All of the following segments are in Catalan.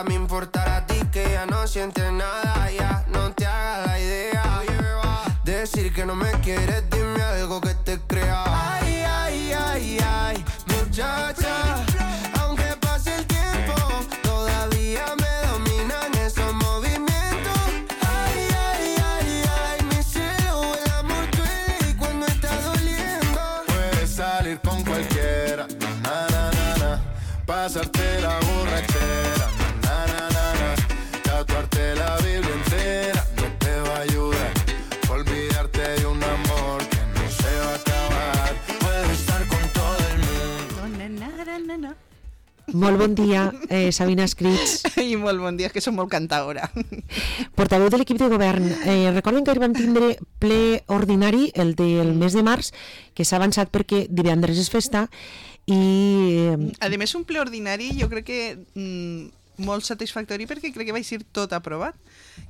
nada me importará a ti, que ya no sientes nada, ya no te hagas la idea. Decir que no me quieres, dime algo que te crea. Ay, ay, ay, ay, muchacha, aunque pase el tiempo, todavía me dominan esos movimientos. Ay, ay, ay, ay, mi cielo, el amor duele y cuando está doliendo. Puedes salir con cualquiera, na, na, na, na, pasarte la borrachera, na, na, na, na, tatuarte la Biblia entera no te va a ayudar. Olvidarte de un amor que no se va a acabar. Puedes estar con todo el mundo. Molt bon dia, Sabina Escrits. I molt bon dia, que som molt cantadora. Portaveu de l'equip de govern. Recorden que ahir vam tindre ple ordinari, el del mes de març, que s'ha avançat perquè divendres és festa i... A més, un ple ordinari jo crec que molt satisfactori perquè crec que va ser tot aprovat.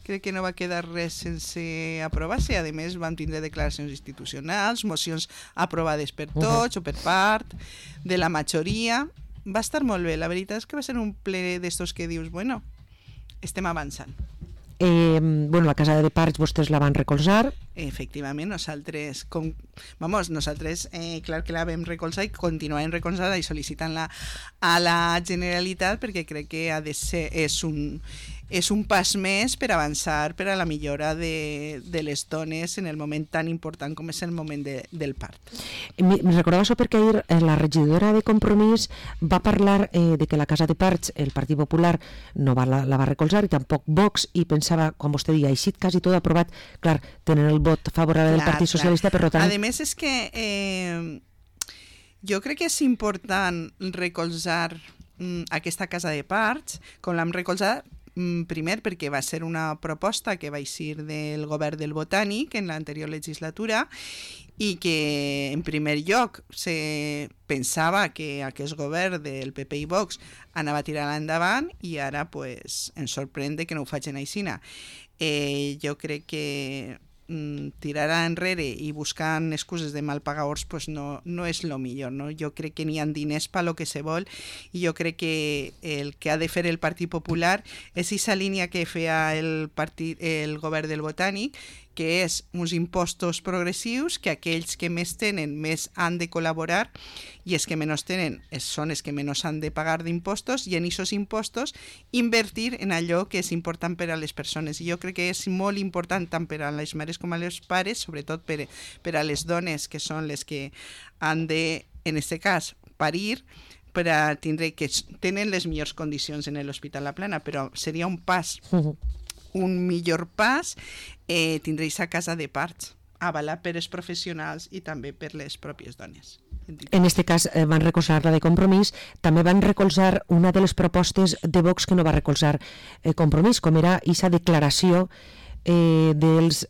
Crec que no va quedar res sense aprovar-se. A més, vam tindre declaracions institucionals, mocions aprovades per tots o per part de la majoria. Va estar molt bé. La veritat és que va ser un ple d'estos que dius, bueno, estem avançant. Bueno, la casa de parts vostès la van recolzar. Efectivament, nosaltres, clar que la vam recolzar i continuarem recolzant i sol·licitant-la a la Generalitat perquè crec que ha de ser, és un pas més per avançar per a la millora de les dones en el moment tan important com és el moment del part. Me recordava això perquè ahir la regidora de Compromís va parlar de que la casa de parts, el Partit Popular, no la va recolzar i tampoc Vox, i pensava, quan vostè deia, així quasi tot aprovat, clar, tenen el vot favorable del Partit Socialista, per tant... A més, és que jo crec que és important recolzar aquesta casa de parts, com l'hem recolzat, primer perquè va ser una proposta que va eixir del govern del Botànic en l'anterior legislatura i que en primer lloc se pensava que aquest govern del PP i Vox anava a tirar endavant i ara pues, ens sorprèn que no ho facin aixina. Jo crec que tirar enrere i buscant excuses de mal pagadors pues no és el millor, no? Jo crec que n'hi ha diners per lo que se vol i jo crec que el que ha de fer el Partit Popular és aquesta línia que feia el govern del Botànic, que és uns impostos progressius que aquells que més tenen més han de col·laborar i els que menys tenen són els que menys han de pagar d'impostos i en aquests impostos invertir en allò que és important per a les persones. I jo crec que és molt important tant per a les mares com a les pares, sobretot per a les dones que són les que han de, en aquest cas, parir, per a tindre que tenen les millors condicions en l'Hospital La Plana, però seria un pas un millor pas tindré aquesta casa de parts avalat per els professionals i també per les pròpies dones. En aquest cas van recolzar la de Compromís, també van recolzar una de les propostes de Vox que no va recolzar Compromís, com era aquesta declaració dels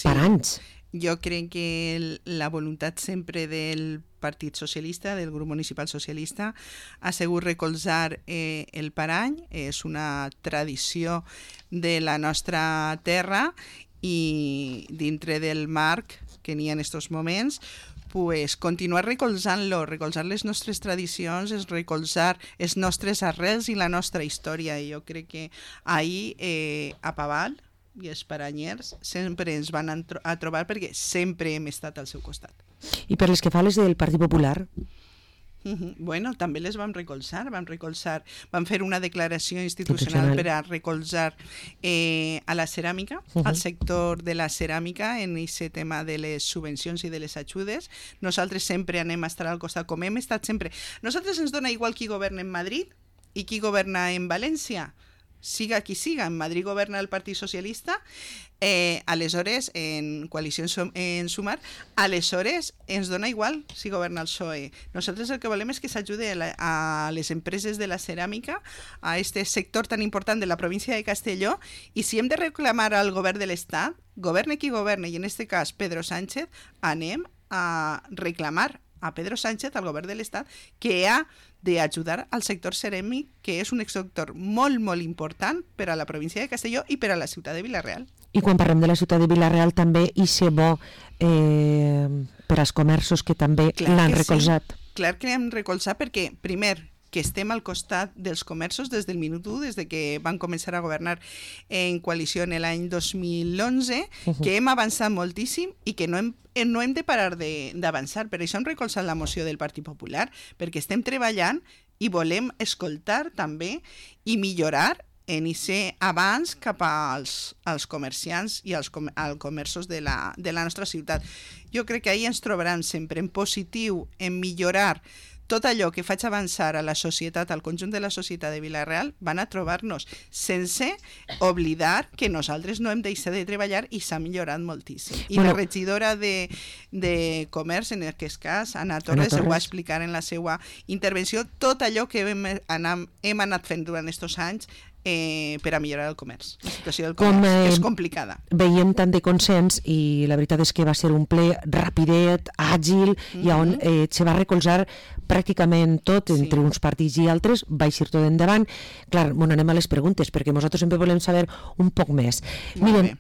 paranys. Jo crec que la voluntat sempre del Partit Socialista, del grup municipal socialista, ha sigut recolzar el parany. És una tradició de la nostra terra i dintre del marc que n'hi ha en aquests moments, pues, continuar recolzant-lo, recolzar les nostres tradicions, és recolzar els nostres arrels i la nostra història. I jo crec que ahir a Paval i els paranyers sempre ens van a trobar perquè sempre hem estat al seu costat. I per les que fa les del Partit Popular? Bueno, també les vam recolzar, vam fer una declaració institucional per a recolzar a la ceràmica, al sector de la ceràmica en aquest tema de les subvencions i de les ajudes. Nosaltres sempre anem a estar al costat, com hem estat sempre. Nosaltres ens dona igual qui governa en Madrid i qui governa en València. Siga qui siga, en Madrid governa el Partit Socialista, aleshores en Coalició en Sumar, aleshores ens dona igual si governa el PSOE. Nosaltres el que volem és que s'ajude a les empreses de la ceràmica, a aquest sector tan important de la província de Castelló, i si hem de reclamar al govern de l'Estat, governe qui governe, i en aquest cas Pedro Sánchez, anem a reclamar a Pedro Sánchez, al govern de l'Estat, que ha d'ajudar al sector ceràmic, que és un sector molt, molt important per a la província de Castelló i per a la ciutat de Vila-real. I quan parlem de la ciutat de Vila-real també hi ser bo per als comerços que també l'han recolzat. Sí. Clar que l'hem recolzat perquè, primer, que estem al costat dels comerços des del minut 1, des de que van començar a governar en coalició en l'any 2011, que hem avançat moltíssim i que no hem de parar d'avançar. Per això hem recolzat la moció del Partit Popular, perquè estem treballant i volem escoltar també i millorar en aquest avanç cap als comerciants i als comerços de la nostra ciutat. Jo crec que ahir ens trobaran sempre en positiu, en millorar tot allò que faig avançar a la societat, al conjunt de la societat de Vila-real, van a trobar-nos, sense oblidar que nosaltres no hem deixat de treballar i s'ha millorat moltíssim. I la regidora de Comerç, en aquest cas, Anna Torres, ho va explicar en la seva intervenció, tot allò que hem anat fent durant aquests anys per a millorar el comerç. La situació del comerç és complicada. Veiem tant de consens i la veritat és que va ser un ple rapidet, àgil, i on se va recolzar pràcticament tot entre uns partits i altres, va eixir tot endavant. Clar, anem a les preguntes, perquè nosaltres sempre volem saber un poc més. Miren,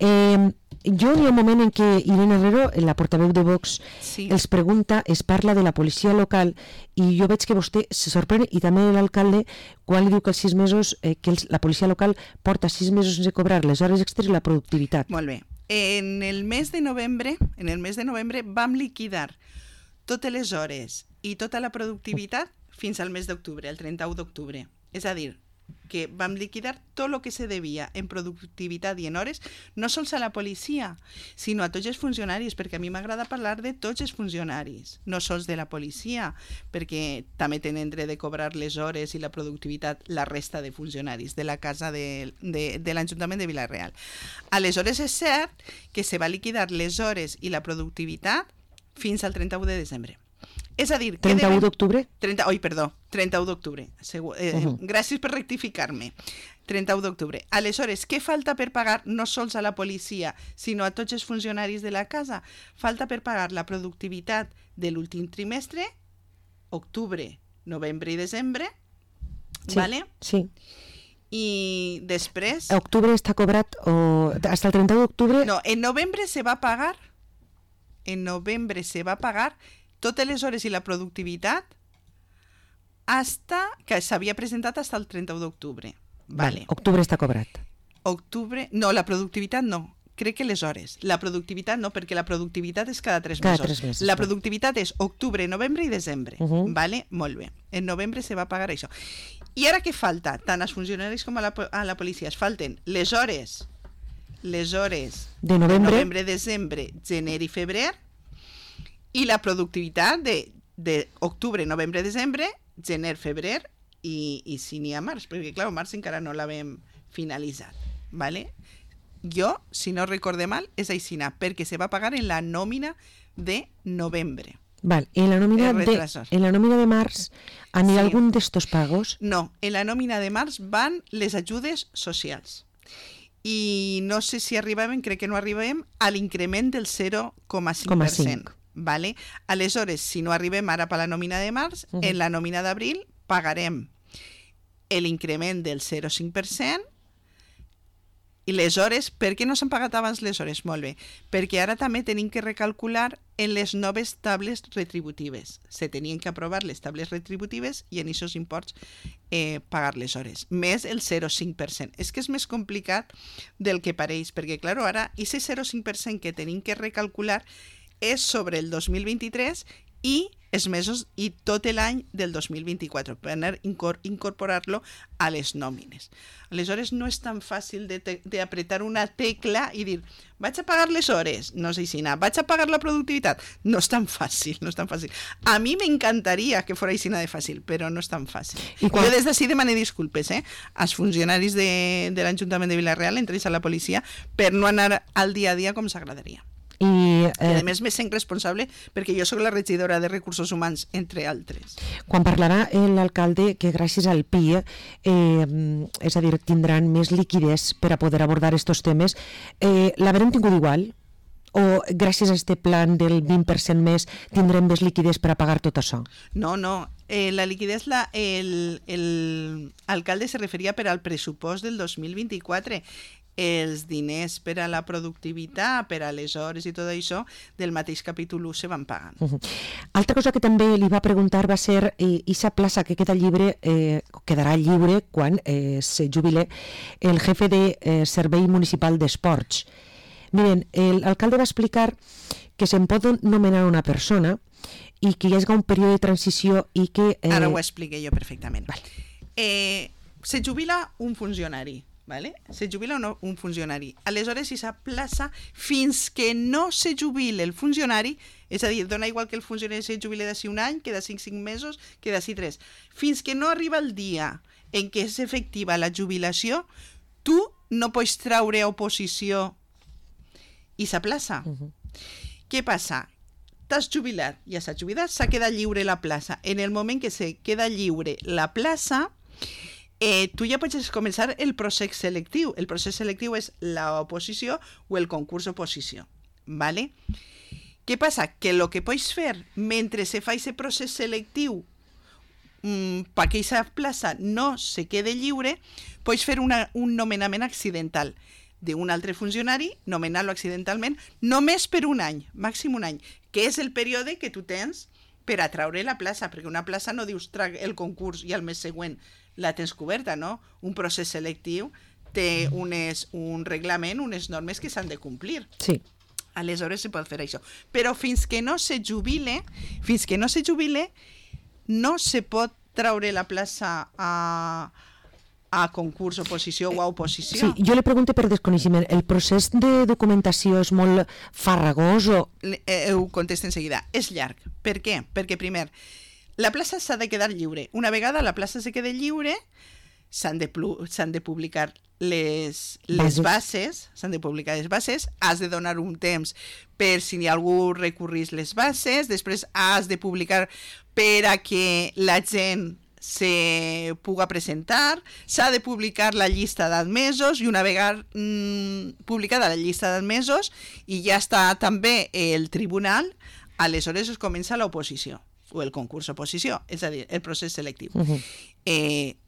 jo hi ha un moment en què Irene Herrero, la portaveu de Vox, els pregunta, es parla de la policia local, i jo veig que vostè se sorprèn, i també l'alcalde, quan li diu que els 6 mesos, que la policia local porta 6 mesos sense cobrar les hores extres i la productivitat. Molt bé. En el mes de novembre vam liquidar totes les hores i tota la productivitat fins al mes d'octubre, el 31 d'octubre. És a dir, que vam liquidar tot el que se devia en productivitat i en hores, no sols a la policia, sinó a tots els funcionaris, perquè a mi m'agrada parlar de tots els funcionaris, no sols de la policia, perquè també tenen dret de cobrar les hores i la productivitat la resta de funcionaris de la casa de l'Ajuntament de Vila-real. Aleshores és cert que se va liquidar les hores i la productivitat fins al 31 de desembre. És a dir... 31 d'octubre? 31 d'octubre. Gràcies per rectificar-me. 31 d'octubre. Aleshores, què falta per pagar no sols a la policia, sinó a tots els funcionaris de la casa? Falta per pagar la productivitat de l'últim trimestre, octubre, novembre i desembre, ¿vale? Sí. I després... Octubre està cobrat, o hasta el 31 d'octubre... No, en novembre se va pagar totes les hores i la productivitat que s'havia presentat fins al 31 d'octubre. Vale. Octubre està cobrat. No, la productivitat no. Crec que les hores. La productivitat no, perquè la productivitat és cada 3 mesos. Cada 3 mesos. La productivitat és octubre, novembre i desembre. Vale? Molt bé. En novembre se va pagar això. I ara què falta? Tant als funcionaris com a la policia. Es falten les hores de novembre, desembre, gener i febrer, i la productivitat d'octubre, novembre, desembre, gener, febrer i si n'hi ha març, perquè clar, març encara no l'havem finalitzat. ¿Vale? Jo, si no recorde mal, és aixina, perquè se va pagar en la nòmina de novembre. Val. En la nòmina de març anirà algun d'estos pagos? No, en la nòmina de març van les ajudes socials. I no sé si arribem, crec que no arribem, a l'increment del 0,5%. Vale? Aleshores, si no arribem ara per la nòmina de març, en la nòmina d'abril pagarem l'increment del 0,5%. I les hores, per què no s'han pagat abans les hores? Molt bé, perquè ara també tenim que recalcular en les noves tables retributives. Se tenien que aprovar les tables retributives i en aquests imports pagar les hores, més el 0,5%. És que és més complicat del que pareix, perquè, clar, ara aquest 0,5% que tenim que recalcular és sobre el 2023 i els mesos i tot l'any del 2024 per incorporar-lo a les nòmines. Aleshores no és tan fàcil d'apretar una tecla i dir vaig a pagar les hores, no sé si vaig a pagar la productivitat. No és tan fàcil, no és tan fàcil. A mi m'encantaria que fos així de fàcil, però no és tan fàcil. Jo des d'ací demano disculpes als funcionaris de l'Ajuntament de Vila-real, entre ells a la policia, per no anar al dia a dia com s'agradaria. I a més me sent responsable perquè jo sóc la regidora de Recursos Humans, entre altres. Quan parlarà l'alcalde que gràcies al PIE, és a dir, tindran més liquiditat per a poder abordar aquests temes, l'haurem tingut igual? o gràcies a este plan del 20% més tindrem més liquiditat per a pagar tot això? No, la liquiditat, el alcalde se referia per al pressupost del 2024. Els diners per a la productivitat, per a les hores i tot això, del mateix capítol 1 se van pagant. Altra cosa que també li va preguntar va ser aquesta plaça que quedarà lliure quan se jubile el jefe de Servei Municipal d'Esports. Miren, l'alcalde va explicar que se'n pot nomenar una persona i que hi hagi un període de transició i que... Ara ho expliqué jo perfectament. Se jubila un funcionari, ¿vale? Se jubila un funcionari. Aleshores, aquesta plaça, fins que no se jubile el funcionari, és a dir, dona igual que el funcionari se jubile d'ací un any, que d'ací 5 mesos, que d'ací 3. Fins que no arriba el dia en què és efectiva la jubilació, tu no pots traure oposició i sa plaça. Què passa? T'has jubilat, ja s'ha jubilat, s'ha quedat lliure la plaça. En el moment que se queda lliure la plaça, tu ja pots començar el procés selectiu. El procés selectiu és l'oposició o el concurs oposició. ¿Vale? Què passa? Que el que pots fer mentre se fa aquest procés selectiu perquè aquesta plaça no se quede lliure, pots fer un nomenament accidental d'un altre funcionari, nomenar-lo accidentalment, només per un any, màxim un any, que és el període que tu tens per atraure la plaça, perquè una plaça no dius trag el concurs i al mes següent la tens coberta, no? Un procés selectiu té un reglament, unes normes que s'han de complir. Sí. Aleshores se pot fer això. Però fins que no se jubile, no se pot traure la plaça a concurs, oposició o a oposició. Sí, jo le pregunto per desconeixement, el procés de documentació és molt farragós o... Ho contesto en seguida. És llarg. Per què? Perquè, primer, la plaça s'ha de quedar lliure. Una vegada la plaça se quede lliure, s'han de publicar les bases, has de donar un temps per si algú recurrís les bases, després has de publicar per a que la gent se puga presentar, s'ha de publicar la llista d'admesos i una vegada publicada la llista d'admesos i ja està també el tribunal, aleshores es comença l'oposició o el concurs oposició, és a dir, el procés selectiu.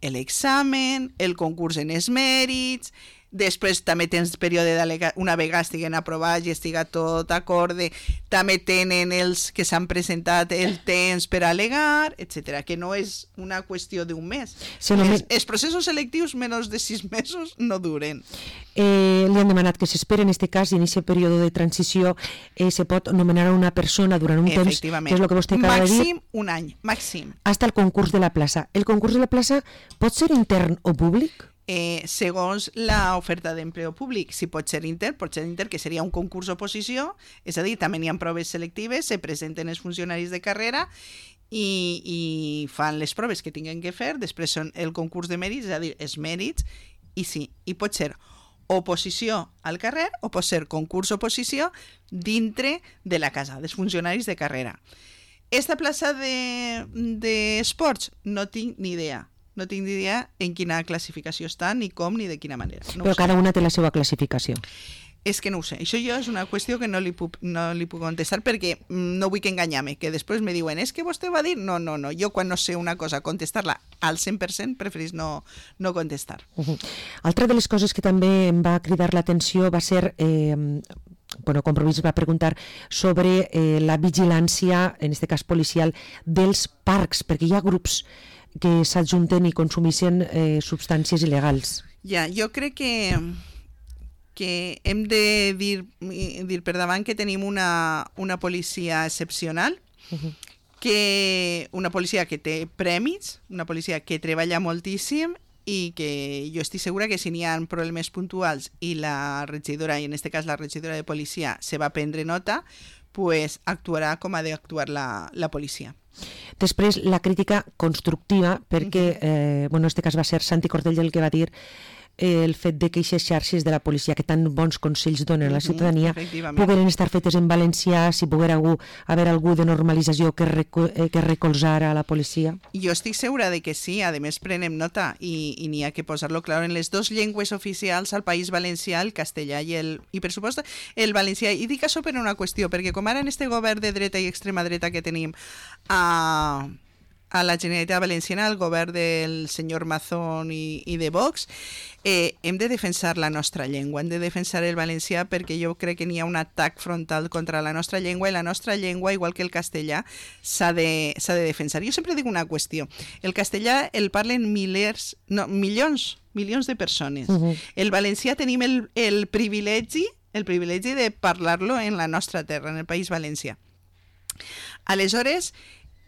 L'examen, el concurs en els mèrits, després també tens període una vegada estiguen aprovats i estiga tot acorde, també tenen els que s'han presentat el temps per al·legar, etc. Que no és una qüestió d'un mes. Sí, els processos selectius menys de 6 mesos no duren. Li han demanat que s'espera en aquest cas i en aquest període de transició se pot nomenar a una persona durant un temps, que és el que vostè acaba de dir. Màxim un any, màxim. Hasta el concurs de la plaça. El concurs de la plaça pot ser intern o públic? Segons l'oferta d'empleo públic, si pot ser inter, que seria un concurs oposició, és a dir, també n'hi ha proves selectives, se presenten els funcionaris de carrera i fan les proves que tinguin que fer, després són el concurs de mèrits, és a dir, els mèrits, i sí, i pot ser oposició al carrer o pot ser concurs oposició dintre de la casa, dels funcionaris de carrera. Esta plaça d'esports no tinc ni idea. No tinc ni idea en quina classificació està, ni com, ni de quina manera. No però cada una té la seva classificació. És que no ho sé. Això jo és una qüestió que no li puc contestar perquè no vull que enganyar-me, que després me diuen és que vostè va dir... No. Jo quan no sé una cosa, contestar-la al 100% preferís no contestar. Altra de les coses que també em va cridar l'atenció va ser... Compromís va preguntar sobre la vigilància, en aquest cas policial, dels parcs, perquè hi ha grups que s'adjunten i consumeixen substàncies il·legals. Ja, jo crec que hem de dir per davant que tenim una policia excepcional, que una policia que té prèmits, una policia que treballa moltíssim i que jo estic segura que si n'hi ha problemes puntuals i la regidora, i en aquest cas la regidora de policia, se va prendre nota, pues actuarà com ha d'actuar la policia. Després, la crítica constructiva, perquè, en aquest cas va ser Santi Cordell el que va dir el fet de que aquestes xarxes de la policia que tan bons consells donen a la ciutadania pogueren estar fetes en valencià, si poguera haver algú de normalització que recolzara a la policia? Jo estic segura de que sí, a més prenem nota i n'hi ha que posar-lo clar en les dues llengües oficials al País Valencià, el castellà i per supost el valencià. I dic això per una qüestió, perquè com ara en este govern de dreta i extrema dreta que tenim a la Generalitat Valenciana, el govern del senyor Mazón i de Vox, hem de defensar la nostra llengua, hem de defensar el valencià, perquè jo crec que n'hi ha un atac frontal contra la nostra llengua, i la nostra llengua, igual que el castellà, s'ha de defensar. Jo sempre dic una qüestió, el castellà el parlen milions de persones. El valencià tenim el privilegi de parlar-lo en la nostra terra, en el País Valencià. Aleshores,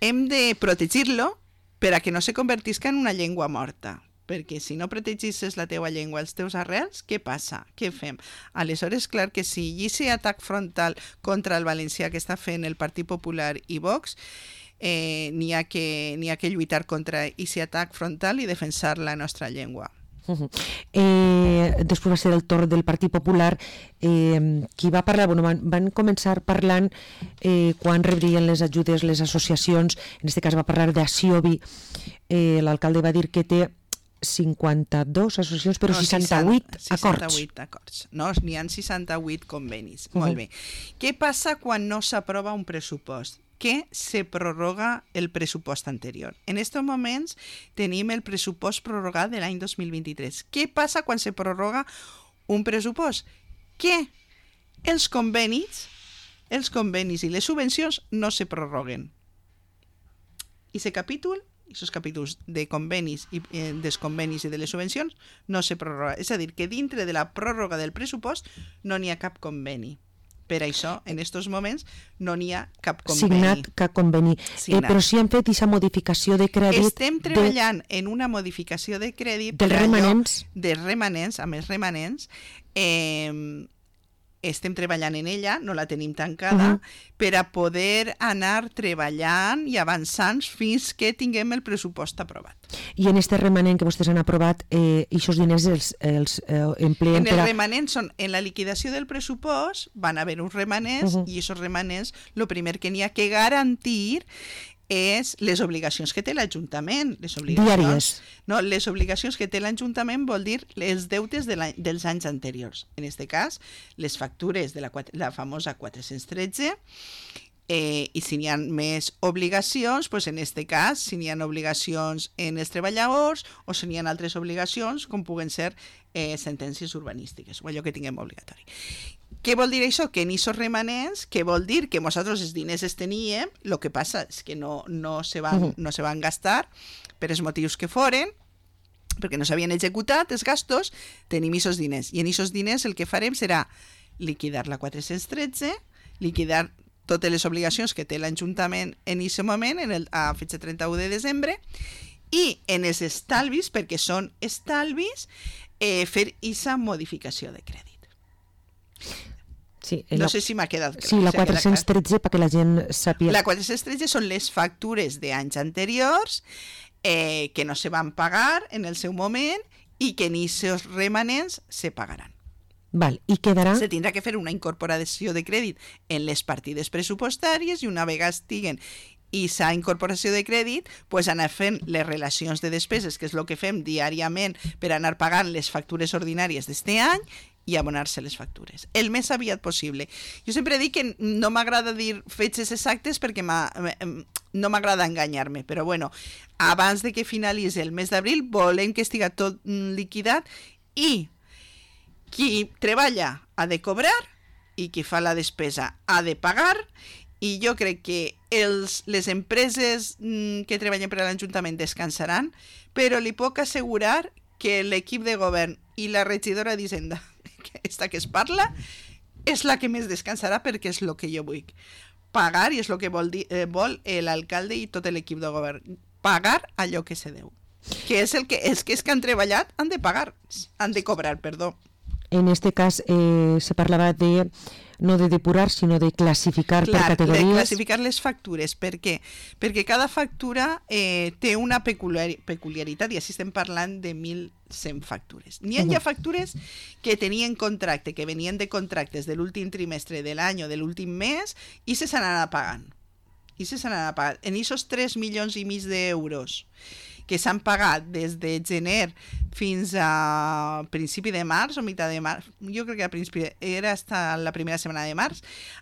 hem de protegir-lo per a que no se convertisca en una llengua morta, perquè si no protegisses la teua llengua, els teus arrels, què passa? Què fem? Aleshores, clar que sí, i aquest atac frontal contra el valencià que està fent el Partit Popular i Vox, n'hi ha que lluitar contra aquest atac frontal i defensar la nostra llengua. Després va ser el torn del Partit Popular. Qui va parlar? Van començar parlant quan rebrien les ajudes les associacions. En aquest cas va parlar d'Aciobi. L'alcalde va dir que té 52 associacions, però 68 acords. 68 acords. No, n'hi ha 68 convenis. Molt bé. Què passa quan no s'aprova un pressupost? Que se prorroga el pressupost anterior. En estos moments tenim el pressupost prorrogat de l'any 2023. Què passa quan se prorroga un pressupost? Que els convenis i les subvencions no se prorroguen. I aquests capítols de convenis i dels convenis i de les subvencions no se prorroga. És a dir, que dintre de la pròrroga del pressupost no n'hi ha cap conveni. Per això, en aquests moments, no n'hi ha cap conveni. Signat cap conveni. Però si han fet aquesta modificació de crèdit... Estem treballant en una modificació de crèdit... Dels remanents. Dels remanents, amb els remanents. Estem treballant en ella, no la tenim tancada, per a poder anar treballant i avançant fins que tinguem el pressupost aprovat. I en este remanent que vostès han aprovat, aquests diners els empleen per a... En el remanent són, en la liquidació del pressupost van haver uns remanents i aquests remanents, el primer que n'hi ha que garantir és les obligacions que té l'Ajuntament. Diàries. No, les obligacions que té l'Ajuntament vol dir els deutes dels anys anteriors. En aquest cas, les factures de la famosa 413, i si n'hi ha més obligacions, doncs en aquest cas, si n'hi ha obligacions en els treballadors o si n'hi ha altres obligacions, com puguen ser sentències urbanístiques o allò que tinguem obligatori. Què vol dir això? Que en aquests remanents, que vol dir que nosaltres els diners els teníem, el que passa és que no se van gastar per els motius que foren, perquè no s'havien executat els gastos, tenim aquests diners. I en aquests diners el que farem serà liquidar la 413, liquidar totes les obligacions que té l'Ajuntament en aquest moment, a fetge 31 de desembre, i en els estalvis, perquè són estalvis, fer aquesta modificació de crèdit. Sí, no sé si m'ha quedat clar. Sí, la 413, perquè la gent sàpiga. La 413 són les factures d'anys anteriors que no se van pagar en el seu moment i que en aquests remanents se pagaran. Val, i quedarà... Se tindrà que fer una incorporació de crèdit en les partides pressupostàries i una vegada estiguen i s'ha incorporació de crèdit, pues anar fent les relacions de despeses, que és el que fem diàriament per anar pagant les factures ordinàries d'este any i abonar-se les factures, el més aviat possible. Jo sempre dic que no m'agrada dir fetges exactes perquè no m'agrada enganyar-me, però bueno, abans de que finalitzi el mes d'abril volem que estigui tot liquidat i qui treballa ha de cobrar i qui fa la despesa ha de pagar, i jo crec que les empreses que treballen per a l'Ajuntament descansaran, però li puc assegurar que l'equip de govern i la regidora d'Hisenda, esta que es parla, és la que més descansarà perquè és el que jo vull. Pagar, i és el que vol l'alcalde i tot l'equip de govern, pagar allò que se deu. Que és els que han treballat han de pagar, han de cobrar, perdó. En este cas se parlava de no de depurar, sinó de classificar per categories. De classificar les factures. Per què? Perquè cada factura té una peculiaritat, i així estem parlant de 1.100 factures. N'hi ha factures que tenien contracte, que venien de contractes de l'últim trimestre de l'any o de l'últim mes, i se s'han anat pagant. En aquests 3,5 milions d'euros que s'han pagat des de gener fins a principi de març o meitat de març, jo crec que era hasta la primera setmana de març,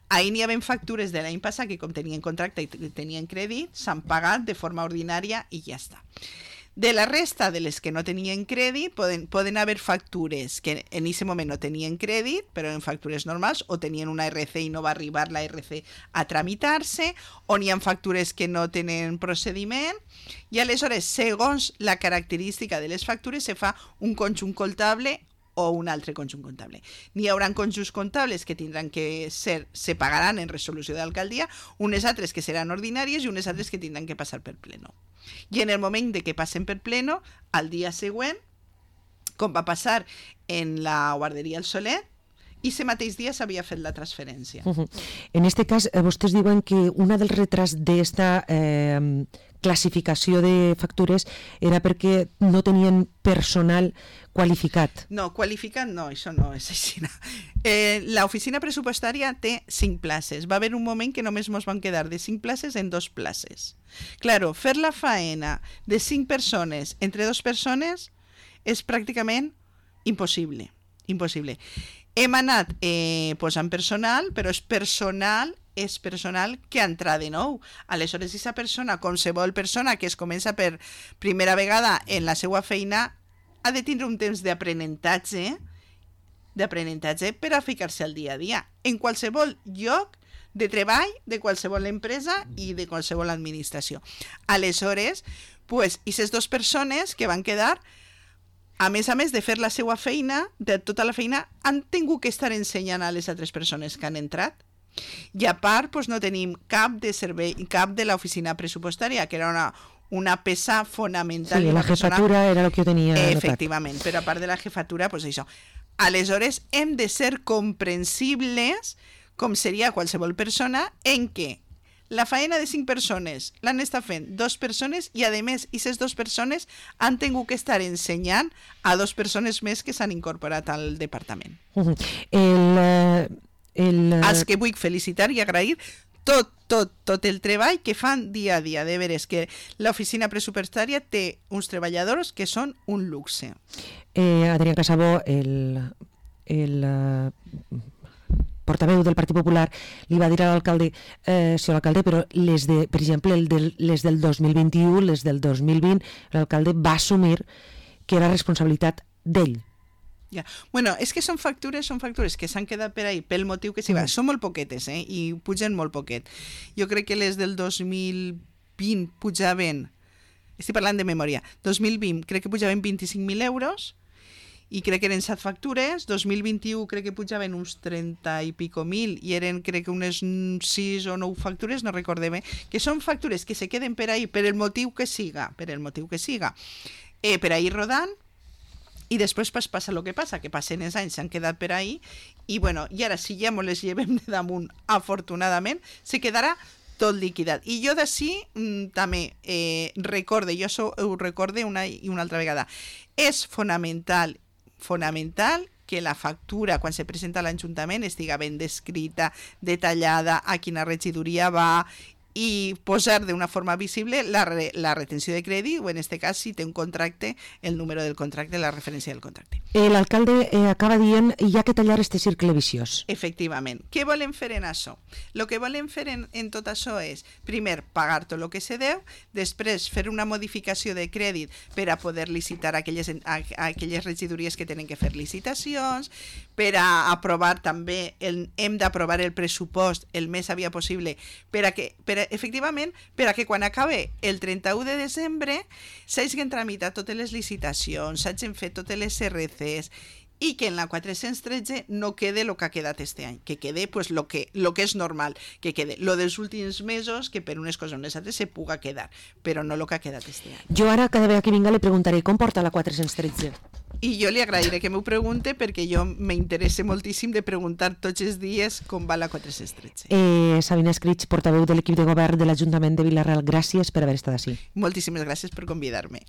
ahir n'hi havia factures de l'any passat que com tenien contracte i tenien crèdit, s'han pagat de forma ordinària i ja està. De la resta de les que no tenien crèdit, poden haver factures que en aquest moment no tenien crèdit, però en factures normals, o tenien una RC i no va arribar la RC a tramitar-se, o n'hi ha factures que no tenen procediment, i aleshores, segons la característica de les factures, se fa un conjunt comptable o un altre conjunt comptable. N'hi haurà conjunts comptables que tindran que ser, se pagaran en resolució d'alcaldia, unes altres que seran ordinàries i unes altres que tindran que passar per pleno. I en el moment de que passen per pleno, al dia següent, com va passar en la guarderia El Solet, i ese mateix dia s'havia fet la transferència. En este cas, vostès diuen que una dels retrats d'esta classificació de factures era perquè no tenien personal qualificat. No, qualificat no, això no és així. L'oficina pressupostària té 5 places. Va haver un moment que només ens van quedar de 5 places en 2 places. Claro, fer la faena de 5 persones entre 2 persones és pràcticament impossible. Impossible. Hem anat posant personal, però és personal que entra de nou. Aleshores, aquesta persona, qualsevol persona que es comença per primera vegada en la seva feina, ha de tindre un temps d'aprenentatge per a ficar-se al dia a dia. En qualsevol lloc de treball, de qualsevol empresa i de qualsevol administració. Aleshores, aquestes 2 persones que van quedar, a més de fer la seva feina, de tota la feina, han tingut que estar ensenyant a les altres persones que han entrat. I a part, no tenim cap de servei, cap de l'oficina pressupostària, que era una peça fonamental. Sí, la jefatura era el que jo tenia notat. Efectivament, però a part de la jefatura, això. Aleshores, hem de ser comprensibles, com seria qualsevol persona, en què la faena de 5 persones l'han estat fent 2 persones i, a més, aquestes 2 persones han tingut que estar ensenyant a 2 persones més que s'han incorporat al departament. Els que vull felicitar i agrair tot el treball que fan dia a dia. De veres que l'oficina pressupostària té uns treballadors que són un luxe. Adrián Casabó, el portaveu del Partit Popular, li va dir a l'alcalde, senyor alcalde, però per exemple, les del 2021, les del 2020, l'alcalde va assumir que era responsabilitat d'ell. Ja. Bueno, és que són factures que s'han quedat per ahí pel motiu que sigui. Són molt poquetes, i pugen molt poquet. Jo crec que les del 2020 pujaven, estic parlant de memòria, 2020 crec que pujaven 25.000 euros, i crec que eren 7 factures, 2021 crec que pujaven uns 30 i pico mil, i eren crec que unes 6 o 9 factures, no recordem, que són factures que se queden per ahí per el motiu que siga, per ahí rodant, i després passa el que passa, que passen els anys, s'han quedat per ahí, i ara si ja ens les llevem de damunt, afortunadament, se quedarà tot liquidat. I jo d'ací també recorde, jo ho recorde una i una altra vegada, és fonamental que la factura, quan se presenta a l'Ajuntament, estiga ben descrita, detallada, a quina regidoria va, i posar d'una forma visible la retenció de crèdit, o en aquest cas, si té un contracte, el número del contracte, la referència del contracte. L'alcalde acaba dient hi ha que tallar este cercle viciós. Efectivament. Què volem fer en això? El que volem fer en tot això és, primer, pagar tot el que se deu, després fer una modificació de crèdit per a poder licitar aquelles regidories que tenen que fer licitacions, per a aprovar també, hem d'aprovar el pressupost el més aviat possible, efectivament, per a que quan acabe el 31 de desembre s'hagin tramitat totes les licitacions, s'hagin fet totes les RCs, i que en la 413 no quede el que ha quedat este any, que quede lo que és normal, que quede lo dels últims mesos, que per unes coses o unes altres se puga quedar, però no el que ha quedat este any. Jo ara, cada vegada que vinga, li preguntaré com porta la 413? I jo li agrairé que m'ho pregunte perquè jo m'interessa moltíssim de preguntar tots els dies com va la 413. Sabina Escrig, portaveu de l'equip de govern de l'Ajuntament de Vila-real, gràcies per haver estat així. Moltíssimes gràcies per convidar-me.